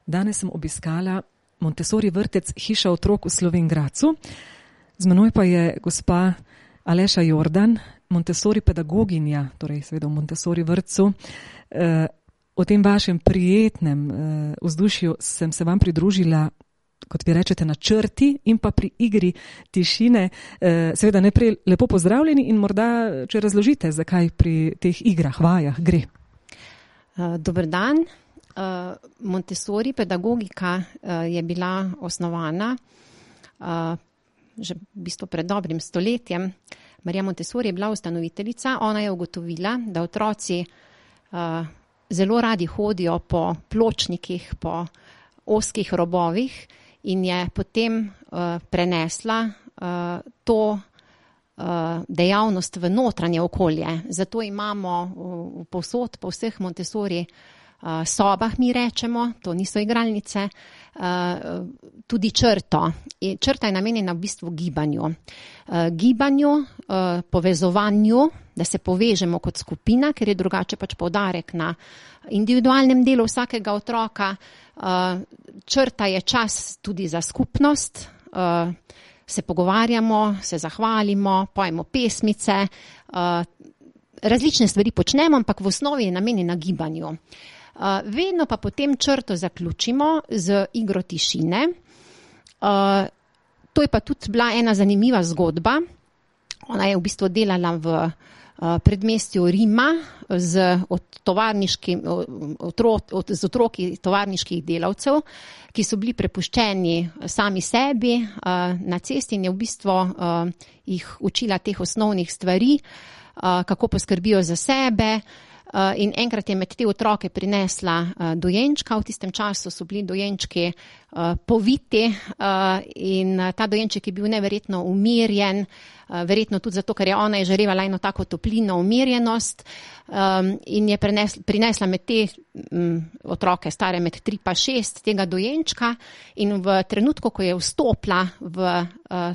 Danes sem obiskala Montessori vrtec Hiša otrok v Slovenj Gradcu. Z menoj pa je gospa Aleša Jordan, Montessori pedagoginja, torej seveda v Montessori vrtcu. O tem vašem prijetnem vzdušju sem se vam pridružila, kot vi rečete, na črti in pa pri igri tišine. Seveda najprej lepo pozdravljeni in morda, če razložite, zakaj pri teh igrah, vajah gre. Dober dan. Montessori pedagogika je bila osnovana že v bistvu pred dobrim stoletjem. Marija Montessori je bila ustanoviteljica. Ona je ugotovila, da otroci zelo radi hodijo po pločnikih, po ozkih robovih in je potem prenesla to dejavnost v notranje okolje. Zato imamo povsod, po vseh Montessori sobah, mi rečemo, to niso igralnice, tudi črto. Črta je namenjena v bistvu gibanju. Gibanju, povezovanju, da se povežemo kot skupina, ker je drugače pač poudarek na individualnem delu vsakega otroka. Črta je čas tudi za skupnost, se pogovarjamo, se zahvalimo, pojemo pesmice, različne stvari počnemo, ampak v osnovi je namenjena gibanju. Vedno pa potem črto zaključimo z igro tišine. To je pa tudi bila ena zanimiva zgodba. Ona je v bistvu delala v predmestju Rima z otroki tovarniških delavcev, ki so bili prepuščeni sami sebi na cesti in je v bistvu jih učila teh osnovnih stvari, kako poskrbijo za sebe. In enkrat je med te otroke prinesla dojenčka. V tistem času so bili dojenčki poviti in ta dojenček je bil neverjetno umirjen, verjetno tudi zato, ker je ona izžarevala eno tako toplino, umirjenost, in je prinesla med te otroke stare med 3 pa 6 tega dojenčka in v trenutku, ko je vstopila v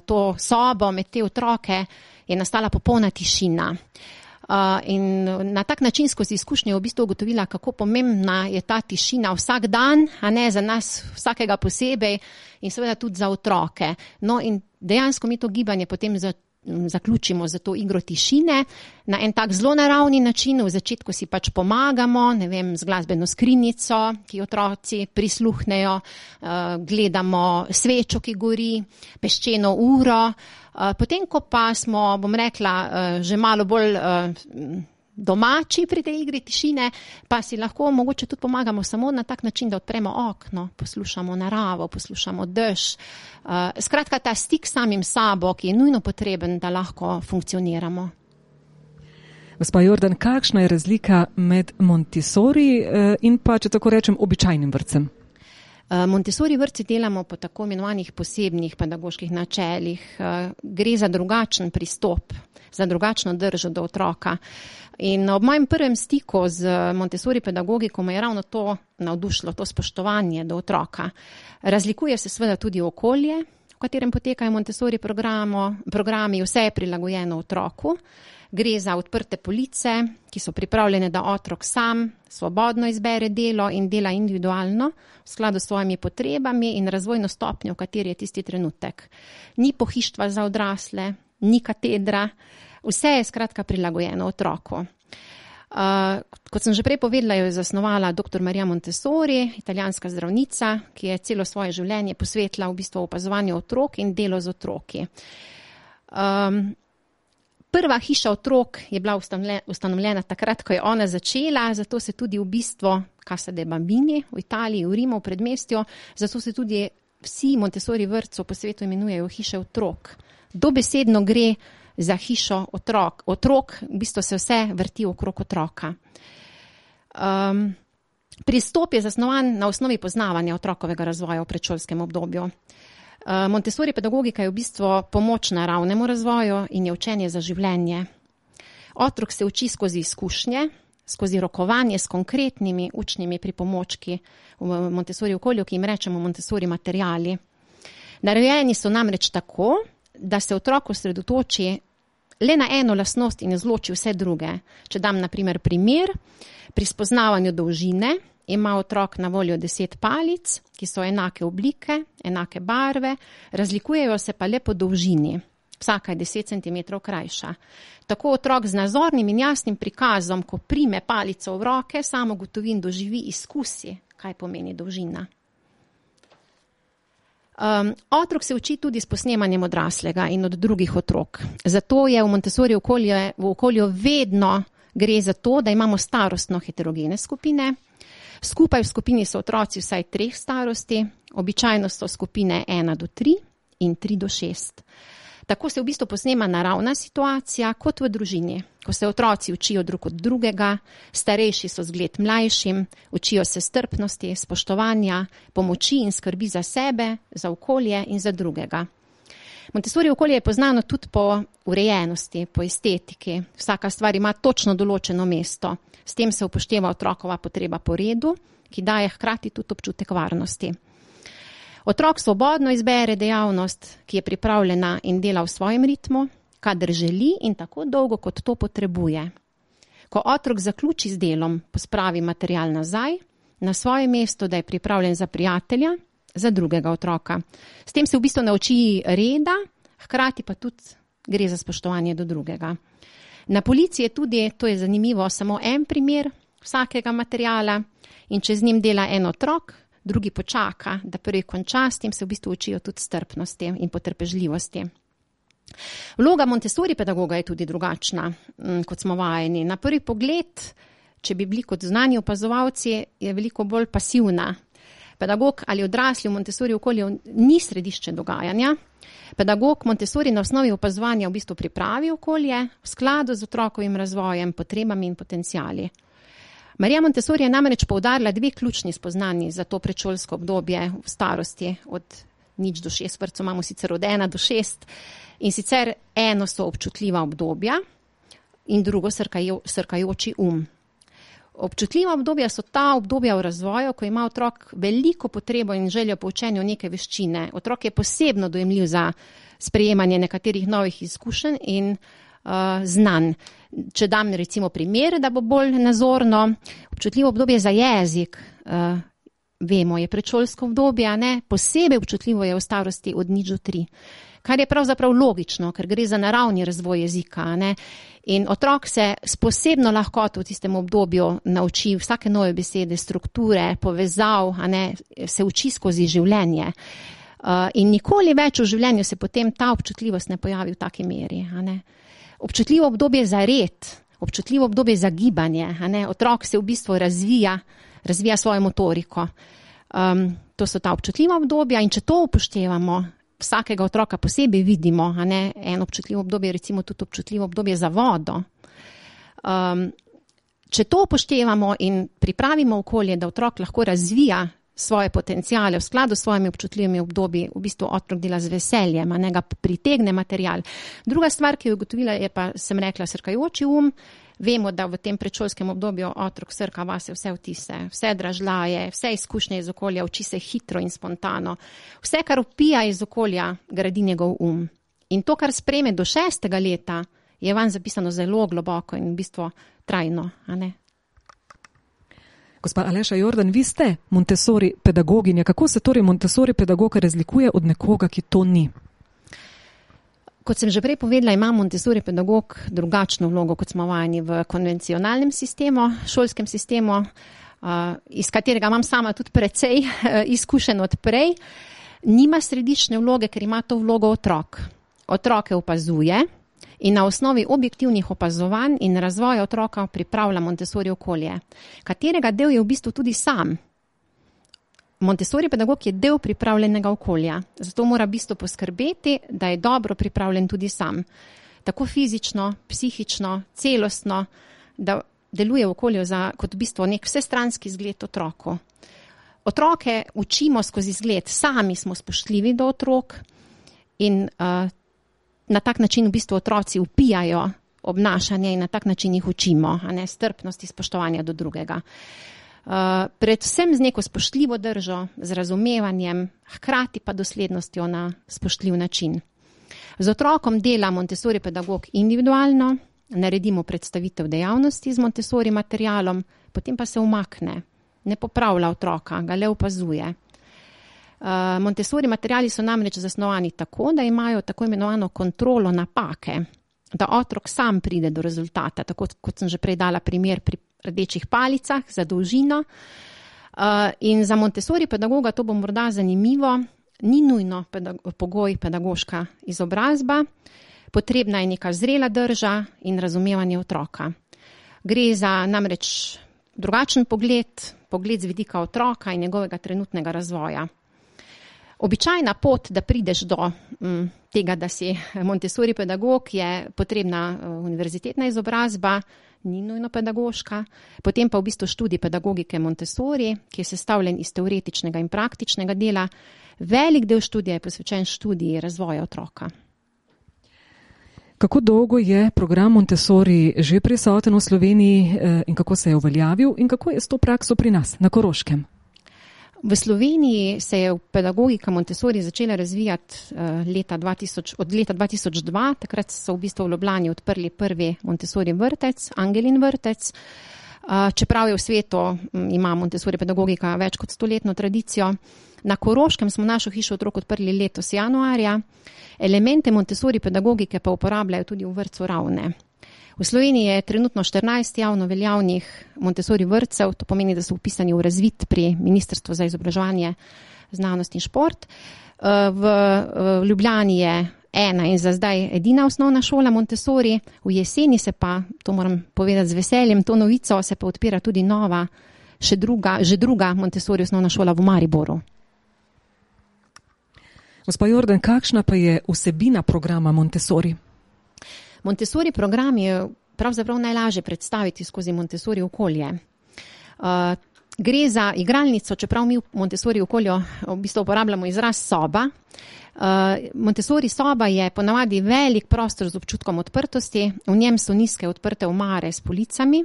to sobo med te otroke, je nastala popolna tišina. In na tak način skozi izkušnje v bistvu ugotovila, kako pomembna je ta tišina vsak dan, a ne za nas vsakega posebej in seveda tudi za otroke. No in dejansko mi to gibanje potem zaključimo za to igro tišine na en tak zelo naravni način. V začetku si pač pomagamo, ne vem, z glasbeno skrinjico, ki otroci prisluhnejo, gledamo svečo, ki gori, peščeno uro. Potem, ko pa smo, bom rekla, že malo bolj domači pri tej igri tišine, pa si lahko mogoče tudi pomagamo samo na tak način, da odpremo okno, poslušamo naravo, poslušamo dež. Skratka, ta stik samim sabo, ki je nujno potreben, da lahko funkcioniramo. Gospa Jordan, kakšna je razlika med Montessori in pa, če tako rečem, običajnim vrtcem? Montessori vrtci delamo po tako imenovanih posebnih pedagoških načelih. Gre za drugačen pristop, za drugačno držo do otroka. In ob mojem prvem stiku z Montessori pedagogiko me je ravno to navdušilo, to spoštovanje do otroka. Razlikuje se seveda tudi okolje, v katerem potekajo Montessori programi, vse je prilagojeno otroku. Gre za odprte police, ki so pripravljene, da otrok sam svobodno izbere delo in dela individualno v skladu s svojimi potrebami in razvojno stopnjo, v kateri je tisti trenutek. Ni pohištva za odrasle, ni katedra, vse je skratka prilagojeno otroku. Kot sem že prej povedala, jo je zasnovala dr. Marija Montessori, italijanska zdravnica, ki je celo svoje življenje posvetila v bistvu opazovanju otrok in delo z otroki. Prva hiša otrok je bila ustanovljena takrat, ko je ona začela, zato se tudi v bistvu Casa dei Bambini v Italiji, v Rimu, v predmestju, zato se tudi vsi Montessori vrtci po svetu imenujejo hiše otrok. Dobesedno gre za hišo otrok. Otrok, v bistvu se vse vrti okrog otroka. Pristop je zasnovan na osnovi poznavanja otrokovega razvoja v predšolskem obdobju. Montessori pedagogika je v bistvu pomoč naravnemu razvoju in je učenje za življenje. Otrok se uči skozi izkušnje, skozi rokovanje s konkretnimi učnimi pripomočki v Montessori okolju, ki jim rečemo Montessori materiali. Narejeni so namreč tako, da se otrok osredotoči le na eno lastnost in izloči vse druge. Če dam na primer pri spoznavanju dolžine ima otrok na voljo 10 palic, ki so enake oblike, enake barve, razlikujejo se pa le po dolžini. Vsaka je 10 cm krajša. Tako otrok z nazornim in jasnim prikazom, ko prime palico v roke, samo ugotovi in doživi, izkusi, kaj pomeni dolžina. Otrok se uči tudi s posnemanjem odraslega in od drugih otrok. Zato je v Montessori v okolju vedno gre za to, da imamo starostno heterogene skupine. Skupaj v skupini so otroci vsaj 3 starosti, običajno so skupine 1 do 3 in 3 do 6. Tako se v bistvu posnema naravna situacija kot v družini, ko se otroci učijo drug od drugega, starejši so zgled mlajšim, učijo se strpnosti, spoštovanja, pomoči in skrbi za sebe, za okolje in za drugega. Montessori okolje je poznano tudi po urejenosti, po estetiki. Vsaka stvar ima točno določeno mesto. S tem se upošteva otrokova potreba po redu, ki daje hkrati tudi občutek varnosti. Otrok svobodno izbere dejavnost, ki je pripravljena in dela v svojem ritmu, kadar želi in tako dolgo, kot to potrebuje. Ko otrok zaključi z delom, pospravi material nazaj, na svoje mesto, da je pripravljen za prijatelja, za drugega otroka. S tem se v bistvu nauči reda, hkrati pa tudi gre za spoštovanje do drugega. Na polici je tudi, to je zanimivo, samo en primer vsakega materiala in če z njim dela en otrok, drugi počaka, da prvi konča, s tem se v bistvu učijo tudi strpnosti in potrpežljivosti. Vloga Montessori pedagoga je tudi drugačna, kot smo vajeni. Na prvi pogled, če bi bili kot znani opazovalci, je veliko bolj pasivna. Pedagog ali odrasli v Montessori okolju ni središče dogajanja. Pedagog Montessori na osnovi opazovanja v bistvu pripravi okolje v skladu z otrokovim razvojem, potrebami in potenciali. Marija Montessori je namreč poudarila 2 ključni spoznanji za to predšolsko obdobje v starosti. Od 0 do 6 vrtcev imamo sicer od 1 do 6. In sicer eno so občutljiva obdobja in drugo srkajoči Občutljiva obdobja so ta obdobja v razvoju, ko ima otrok veliko potrebo in željo po učenju neke veščine. Otrok je posebno dojemljiv za sprejemanje nekaterih novih izkušenj in znanj. Če dam recimo primer, da bo bolj nazorno, občutljivo obdobje za jezik, vemo, je predšolsko obdobje, ne? Posebej občutljivo je v starosti od 0 do 3. Kar je pravzaprav logično, ker gre za naravni razvoj jezika, ne? In otrok se s posebno lahkoto v tistem obdobju nauči vsake nove besede, strukture, povezav, ne? Se uči skozi življenje. In nikoli več v življenju se potem ta občutljivost ne pojavi v taki meri, ne? Občutljivo obdobje za red, občutljivo obdobje za gibanje, ne? Otrok se v bistvu razvija svojo motoriko. To so ta občutljiva obdobja in če to upoštevamo, vsakega otroka posebej vidimo, ne? Eno občutljivo obdobje, recimo tudi občutljivo obdobje za vodo. Če to upoštevamo in pripravimo okolje, da otrok lahko razvija svoje potenciale v skladu s svojimi občutljivimi obdobji, v bistvu otrok dela z veseljem, ne ga pritegne material. Druga stvar, ki jo ugotovila, je pa, sem rekla, srkajoči Vemo, da v tem predšolskem obdobju otrok srka vase vse vtise, vse dražljaje, vse izkušnje iz okolja, uči se hitro in spontano. Vse, kar vpija iz okolja, gradi njegov In to, kar sprejme do 6. leta, je vanj zapisano zelo globoko in v bistvu trajno, ne? Gospa Aleša Jordan, vi ste Montessori pedagoginja. Kako se torej Montessori pedagoga razlikuje od nekoga, ki to ni? Kot sem že prej povedala, ima Montessori pedagog drugačno vlogo, kot smo vajeni v konvencionalnem sistemu, šolskem sistemu, iz katerega imam sama tudi precej izkušen od prej. Nima središčne vloge, ker ima to vlogo otrok. Otroke opazuje in na osnovi objektivnih opazovanj in razvoja otroka pripravlja Montessori okolje, katerega del je v bistvu tudi sam. Montessori pedagog je del pripravljenega okolja, zato mora v bistvu poskrbeti, da je dobro pripravljen tudi sam. Tako fizično, psihično, celostno, da deluje v okolju kot v bistvu nek vsestranski zgled otroku. Otroke učimo skozi zgled, sami smo spoštljivi do otrok in na tak način v bistvu otroci vpijajo obnašanje in na tak način jih učimo, a ne strpnosti, spoštovanja do drugega. Predvsem z neko spoštljivo držo, z razumevanjem, hkrati pa doslednostjo na spoštljiv način. Z otrokom dela Montessori pedagog individualno, naredimo predstavitev dejavnosti z Montessori materialom, potem pa se umakne. ne popravlja otroka, ga le opazuje. Montessori materiali so namreč zasnovani tako, da imajo tako imenovano kontrolo napake, da otrok sam pride do rezultata, tako kot sem že prej dala primer pri rdečih palicah za dolžino. In za Montessori pedagoga, to bo morda zanimivo, ni nujno pogoj pedagoška izobrazba, potrebna je neka zrela drža in razumevanje otroka. Gre za namreč drugačen pogled z vidika otroka in njegovega trenutnega razvoja. Običajna pot, da prideš do tega, da si Montessori pedagog, je potrebna univerzitetna izobrazba, ni nujno pedagoška, potem pa v bistvu študij pedagogike Montessori, ki je sestavljen iz teoretičnega in praktičnega dela. Velik del študija je posvečen študiji razvoja otroka. Kako dolgo je program Montessori že prisoten v Sloveniji in kako se je uveljavil in kako je s to prakso pri nas, na Koroškem? V Sloveniji se je pedagogika Montessori začela razvijati od leta 2002, takrat so v bistvu v Ljubljani odprli prvi Montessori vrtec, Angelin vrtec. Čeprav je v svetu, ima Montessori pedagogika več kot 100-letno tradicijo. Na Koroškem smo našo hišo otrok odprli letos januarja. Elemente Montessori pedagogike pa uporabljajo tudi v vrtcu Ravne. V Sloveniji je trenutno 14 javno veljavnih Montessori vrtcev, to pomeni, da so upisani v razvid pri Ministrstvu za izobraževanje, znanost in šport. V Ljubljani je ena in za zdaj edina osnovna šola Montessori, v jeseni se pa, to moram povedati z veseljem, to novico se pa odpira tudi nova, že druga Montessori osnovna šola v Mariboru. Gospa Jordan, kakšna pa je vsebina programa Montessori? Montessori program je pravzaprav najlažje predstaviti skozi Montessori okolje. Gre za igralnico, čeprav mi v Montessori okolju v bistvu uporabljamo izraz soba. Montessori soba je ponavadi velik prostor z občutkom odprtosti, v njem so nizke odprte omare s policami,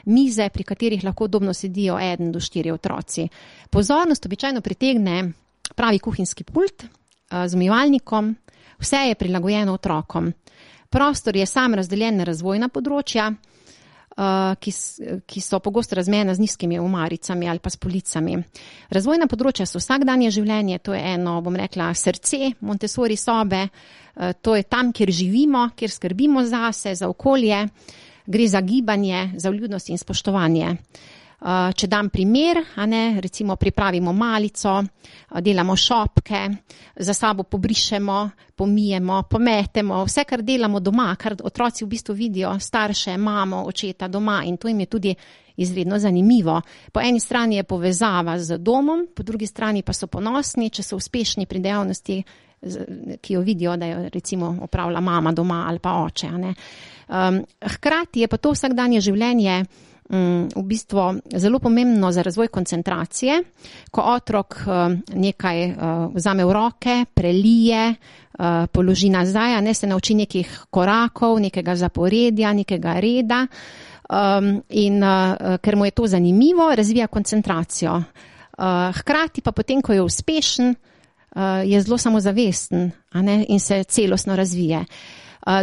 mize, pri katerih lahko udobno sedijo 1 do 4 otroci. Pozornost običajno pritegne pravi kuhinjski pult z umivalnikom, vse je prilagojeno otrokom. Prostor je sam razdeljen na razvojna področja, ki so pogosto razmejena z nizkimi omaricami ali pa s policami. Razvojna področja so vsakdanje življenje, to je eno, bom rekla, srce Montessori sobe, to je tam, kjer živimo, kjer skrbimo zase, za okolje, gre za gibanje, za vljudnost in spoštovanje. Če dam primer, recimo pripravimo malico, delamo šopke, za sabo pobrišemo, pomijemo, pometemo, vse, kar delamo doma, kar otroci v bistvu vidijo starše, mamo, očeta doma in to jim je tudi izredno zanimivo. Po eni strani je povezava z domom, po drugi strani pa so ponosni, če so uspešni pri dejavnosti, ki jo vidijo, da jo recimo opravlja mama doma ali pa oče. Hkrati je pa to vsakdanje življenje v bistvu zelo pomembno za razvoj koncentracije, ko otrok nekaj vzame v roke, prelije, položi nazaj, se nauči nekih korakov, nekega zaporedja, nekega reda in ker mu je to zanimivo, razvija koncentracijo. Hkrati pa potem, ko je uspešen, je zelo samozavesten in se celostno razvije.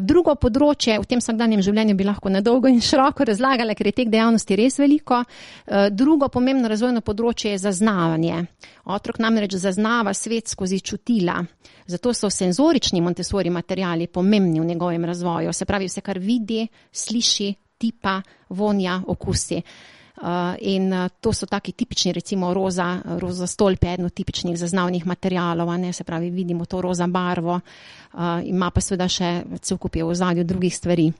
Drugo področje, v tem vsakdanjem življenju bi lahko na dolgo in široko razlagala, ker je teh dejavnosti res veliko. Drugo pomembno razvojno področje je zaznavanje. Otrok namreč zaznava svet skozi čutila. Zato so senzorični Montessori materiali pomembni v njegovem razvoju. Se pravi, vse, kar vidi, sliši, tipa, vonja, okusi. In to so taki tipični, recimo roza stolp je eno tipičnih zaznavnih materialov, se pravi, vidimo to roza barvo, ima pa seveda še cel kup je v ozadju drugih stvari.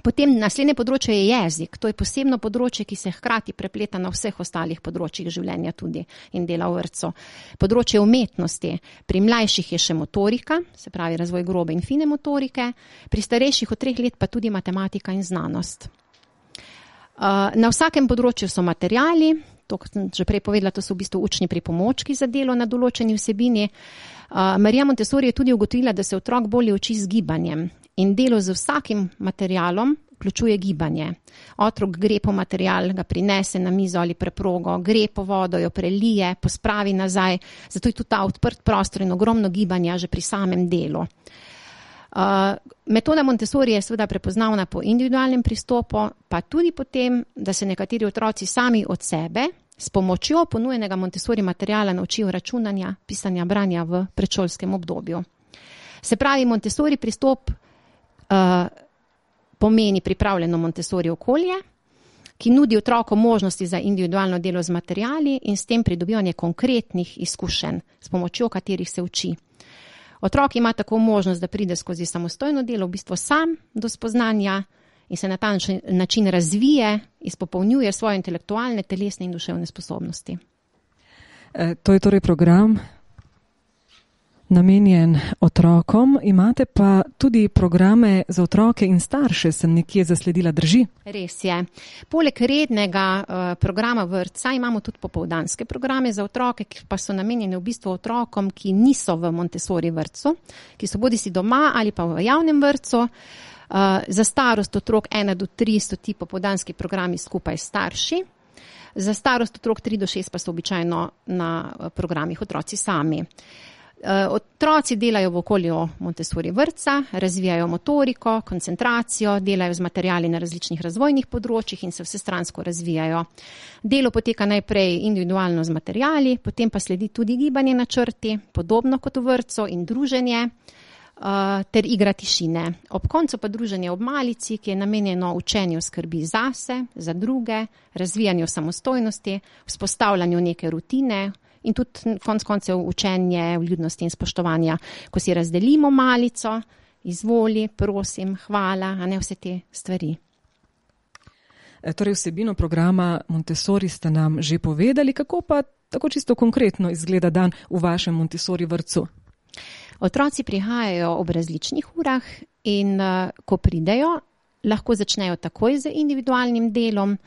Potem naslednje področje je jezik, to je posebno področje, ki se hkrati prepleta na vseh ostalih področjih življenja tudi in dela v vrtcu. Področje umetnosti, pri mlajših je še motorika, se pravi razvoj grobe in fine motorike, pri starejših od 3 let pa tudi matematika in znanost. Na vsakem področju so materiali, to, kot sem že prej povedala, to so v bistvu učni pripomočki za delo na določeni vsebini. Marija Montessori je tudi ugotovila, da se otrok bolje uči z gibanjem in delo z vsakim materialom vključuje gibanje. Otrok gre po material, ga prinese na mizo ali preprogo, gre po vodo, jo prelije, pospravi nazaj, zato je tudi ta odprt prostor in ogromno gibanja že pri samem delu. Metoda Montessori je seveda prepoznavna po individualnem pristopu, pa tudi po tem, da se nekateri otroci sami od sebe s pomočjo ponujenega Montessori materiala naučijo računanja, pisanja, branja v predšolskem obdobju. Se pravi, Montessori pristop pomeni pripravljeno Montessori okolje, ki nudi otrokom možnosti za individualno delo z materiali in s tem pridobivanje konkretnih izkušenj, s pomočjo katerih se uči. Otrok ima tako možnost, da pride skozi samostojno delo, v bistvu sam do spoznanja in se na ta način razvije, izpopolnjuje svoje intelektualne, telesne in duševne sposobnosti. To je torej program namenjen otrokom, imate pa tudi programe za otroke in starše, sem nekje zasledila, drži? Res je. Poleg rednega programa vrtca imamo tudi popoldanske programe za otroke, ki pa so namenjeni v bistvu otrokom, ki niso v Montessori vrtcu, ki so bodisi doma ali pa v javnem vrtcu. Za starost otrok 1 do 3 so ti popoldanski programi skupaj s starši. Za starost otrok 3 do 6 pa so običajno na programih otroci sami. Otroci delajo v okolju Montessori vrtca, razvijajo motoriko, koncentracijo, delajo z materiali na različnih razvojnih področjih in se vsestransko razvijajo. Delo poteka najprej individualno z materiali, potem pa sledi tudi gibanje na črti, podobno kot v vrtcu, in druženje ter igra tišine. Ob koncu pa druženje ob malici, ki je namenjeno učenju skrbi zase, za druge, razvijanju samostojnosti, vzpostavljanju neke rutine in tudi konec koncev učenje vljudnosti in spoštovanja, ko si razdelimo malico, izvoli, prosim, hvala, a ne vse te stvari. Torej vsebino programa Montessori ste nam že povedali, kako pa tako čisto konkretno izgleda dan v vašem Montessori vrtcu? Otroci prihajajo ob različnih urah in ko pridejo, lahko začnejo takoj z individualnim delom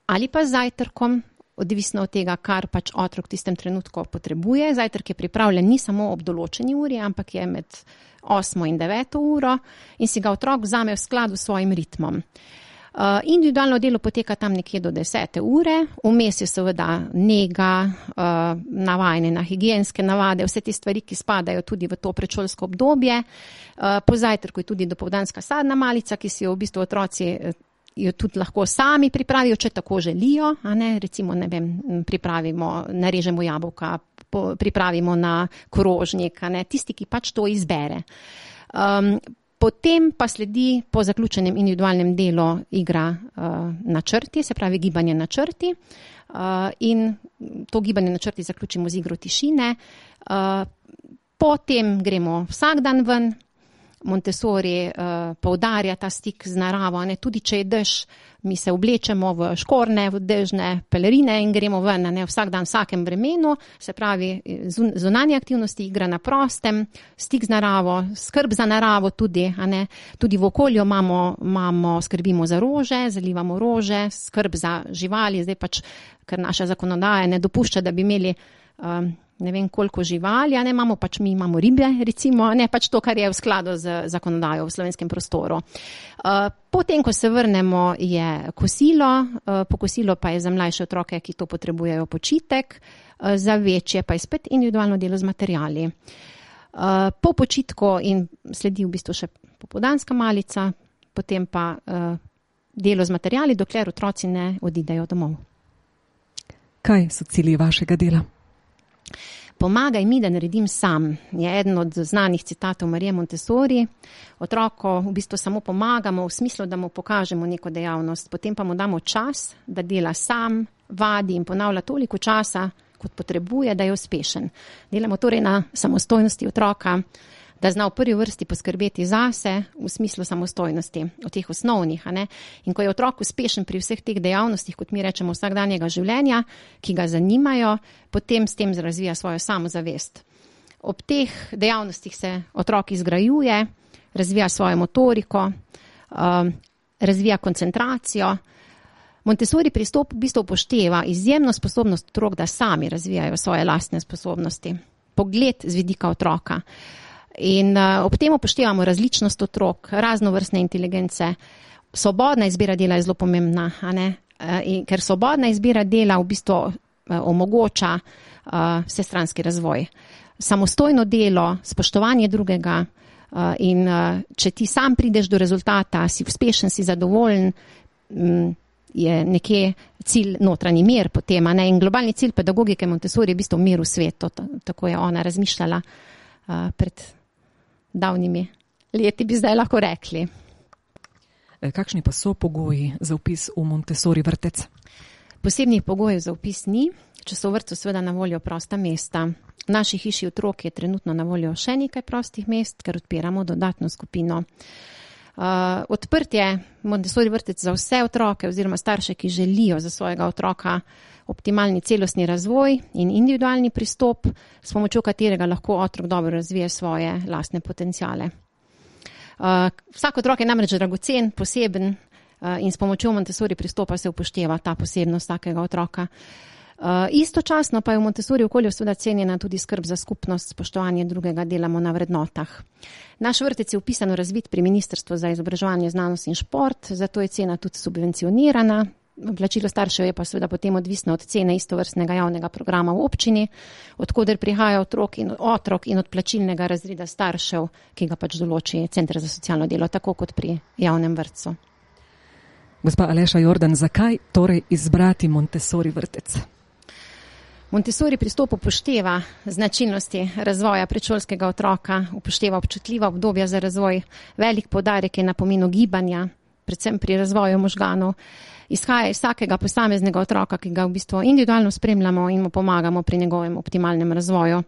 ali pa z zajtrkom, odvisno od tega, kar pač otrok v tistem trenutku potrebuje. Zajtrk je pripravljen ni samo ob določeni uri, ampak je med 8 in 9 uro in si ga otrok vzame v skladu s svojim ritmom. Individualno delo poteka tam nekje do 10 ure, vmes je seveda nega, navajanje na higienske navade, vse te stvari, ki spadajo tudi v to predšolsko obdobje. Po zajtrku je tudi dopoldanska sadna malica, ki si jo v bistvu otroci jo tudi lahko sami pripravijo, če tako želijo, a ne, recimo, ne vem, pripravimo, narežemo jabolka, pripravimo na krožnik, a ne, tisti, ki pač to izbere. Potem pa sledi po zaključenem individualnem delu igra na črti, se pravi gibanje na črti, in to gibanje na črti zaključimo z igro tišine. Potem gremo vsak dan ven. Montessori poudarja ta stik z naravo, ne, tudi če je dež, mi se oblečemo v škorne, v dežne pelerine in gremo ven, ne, vsak dan, vsakem vremenu, se pravi zunanje aktivnosti, igra na prostem, stik z naravo, skrb za naravo tudi, a ne, tudi v okolju skrbimo za rože, zalivamo rože, skrb za živali, zdaj pač, ker naša zakonodaja ne dopušča, da bi imeli ne vem koliko živali, a ne, mi imamo ribe, recimo, ne, pač to, kar je v skladu z zakonodajo v slovenskem prostoru. Potem, ko se vrnemo, je kosilo, po kosilo pa je za mlajše otroke, ki to potrebujejo, počitek, za večje pa je spet individualno delo z materiali. Po počitku in sledi v bistvu še popoldanska malica, potem pa delo z materiali, dokler otroci ne odidejo domov. Kaj so cilji vašega dela? Pomagaj mi, da naredim sam, je eden od znanih citatov Marije Montessori. Otroku v bistvu samo pomagamo v smislu, da mu pokažemo neko dejavnost, potem pa mu damo čas, da dela sam, vadi in ponavlja toliko časa, kot potrebuje, da je uspešen. Delamo torej na samostojnosti otroka, da zna v prvi vrsti poskrbeti zase v smislu samostojnosti, v teh osnovnih, a ne. In ko je otrok uspešen pri vseh teh dejavnostih, kot mi rečemo, vsakdanjega življenja, ki ga zanimajo, potem s tem razvija svojo samozavest. Ob teh dejavnostih se otrok izgrajuje, razvija svojo motoriko, razvija koncentracijo. Montessori pristop v bistvu upošteva izjemno sposobnost otrok, da sami razvijajo svoje lastne sposobnosti. Pogled z vidika otroka. In ob tem upoštevamo različnost otrok, raznovrstne inteligence. Svobodna izbira dela je zelo pomembna, a ne? In ker svobodna izbira dela v bistvu omogoča vsestranski razvoj. Samostojno delo, spoštovanje drugega in če ti sam prideš do rezultata, si uspešen, si zadovoljen, je nekje cilj notranji mir potem, a ne, in globalni cilj pedagogike Montessori je v bistvu mir v svetu, tako je ona razmišljala pred davnimi leti, bi zdaj lahko rekli. Kakšni pa so pogoji za vpis v Montessori vrtec? Posebnih pogojev za vpis ni, če so v vrtcu seveda na voljo prosta mesta. V naši hiši otrok je trenutno na voljo še nekaj prostih mest, ker odpiramo dodatno skupino. Odprt je Montessori vrtec za vse otroke oziroma starše, ki želijo za svojega otroka optimalni celostni razvoj in individualni pristop, s pomočjo katerega lahko otrok dobro razvije svoje lastne potenciale. Vsak otrok je namreč dragocen, poseben in s pomočjo Montessori pristopa se upošteva ta posebnost vsakega otroka. Istočasno pa je v Montessori okolju seveda cenjena tudi skrb za skupnost, spoštovanje drugega, delamo na vrednotah. Naš vrtec je vpisano razvit pri Ministrstvu za izobraževanje, znanost in šport, zato je cena tudi subvencionirana. Plačilo staršev je pa seveda potem odvisno od cene istovrstnega javnega programa v občini, od koder prihaja otrok in od plačilnega razreda staršev, ki ga pač določi Center za socialno delo, tako kot pri javnem vrtcu. Gospa Aleša Jordan, zakaj torej izbrati Montessori vrtec? Montessori pristop upošteva značilnosti razvoja predšolskega otroka, upošteva občutljiva obdobja za razvoj, velik poudarek je na pomenu gibanja, predvsem pri razvoju možganov, izhaja iz vsakega posameznega otroka, ki ga v bistvu individualno spremljamo in mu pomagamo pri njegovem optimalnem razvoju.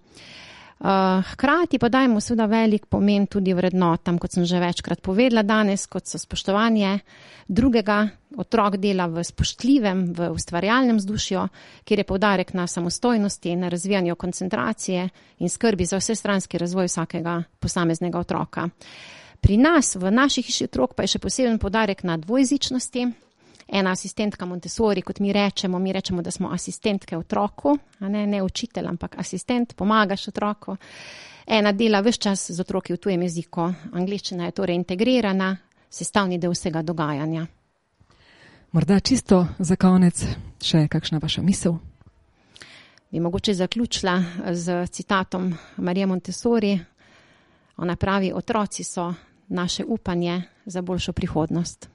Hkrati pa dajemo seveda velik pomen tudi vrednotam, kot sem že večkrat povedala danes, kot so spoštovanje drugega, otrok dela v spoštljivem, v ustvarjalnem vzdušju, kjer je poudarek na samostojnosti, na razvijanju koncentracije in skrbi za vsestranski razvoj vsakega posameznega otroka. Pri nas, v naši hiši otrok, pa je še poseben poudarek na dvojezičnosti. Ena asistentka Montessori, kot mi rečemo, da smo asistentke otroku, ne učitelj, ampak asistent, pomagaš otroku. Ena dela ves čas z otroki v tujem jeziku. Angleščina je torej integrirana, sestavni del vsega dogajanja. Morda čisto za konec še kakšna vaša misel? Bi mogoče zaključila z citatom Marije Montessori. Ona pravi, otroci so naše upanje za boljšo prihodnost.